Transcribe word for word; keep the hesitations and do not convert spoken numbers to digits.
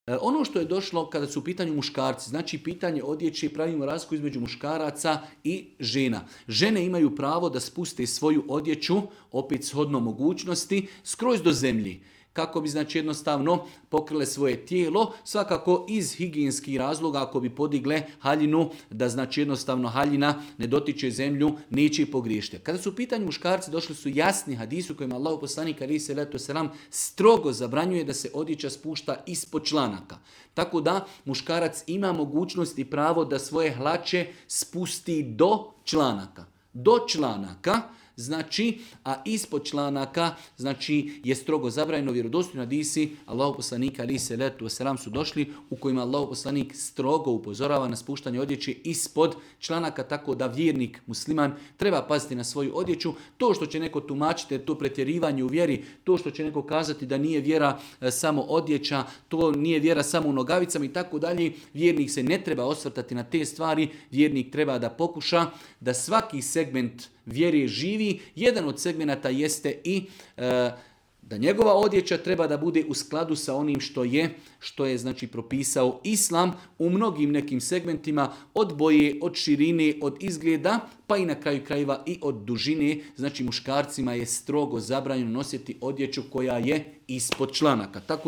E, Ono što je došlo kada su u pitanju muškarci, znači pitanje odjeće, pravimo razliku između muškaraca i žena. Žene imaju pravo da spuste svoju odjeću, opet shodno mogućnosti, skroz do zemlji, kako bi znači jednostavno pokrile svoje tijelo, svakako iz higijenskih razloga, ako bi podigle haljinu, da znači jednostavno haljina ne dotiče zemlju, neće i pogriješiti. Kada su u pitanju muškarci, došli su jasni hadisi u kojima Allahu poslanik alejhi selatu vesselam strogo zabranjuje da se odjeća spušta ispod članaka. Tako da muškarac ima mogućnost i pravo da svoje hlače spusti do članaka. Do članaka, znači, a ispod članaka, znači, je strogo zabranjeno. Vjerodostojni hadisi Allahu poslanika alejhi selatu vesselam su došli u kojima Allahu poslanik strogo upozorava na spuštanje odjeće ispod članaka, tako da vjernik musliman treba paziti na svoju odjeću. To što će neko tumačiti, to pretjerivanje u vjeri, to što će neko kazati da nije vjera e, samo odjeća, to nije vjera samo u nogavicama i tako dalje, vjernik se ne treba osvrtati na te stvari, vjernik treba da pokuša da svaki segment vjere živi. Jedan od segmenata jeste i e, da njegova odjeća treba da bude u skladu sa onim što je, što je znači propisao Islam u mnogim nekim segmentima, od boje, od širine, od izgleda, pa i na kraju krajeva i od dužine. Znači muškarcima je strogo zabranjeno nositi odjeću koja je ispod članaka. Tako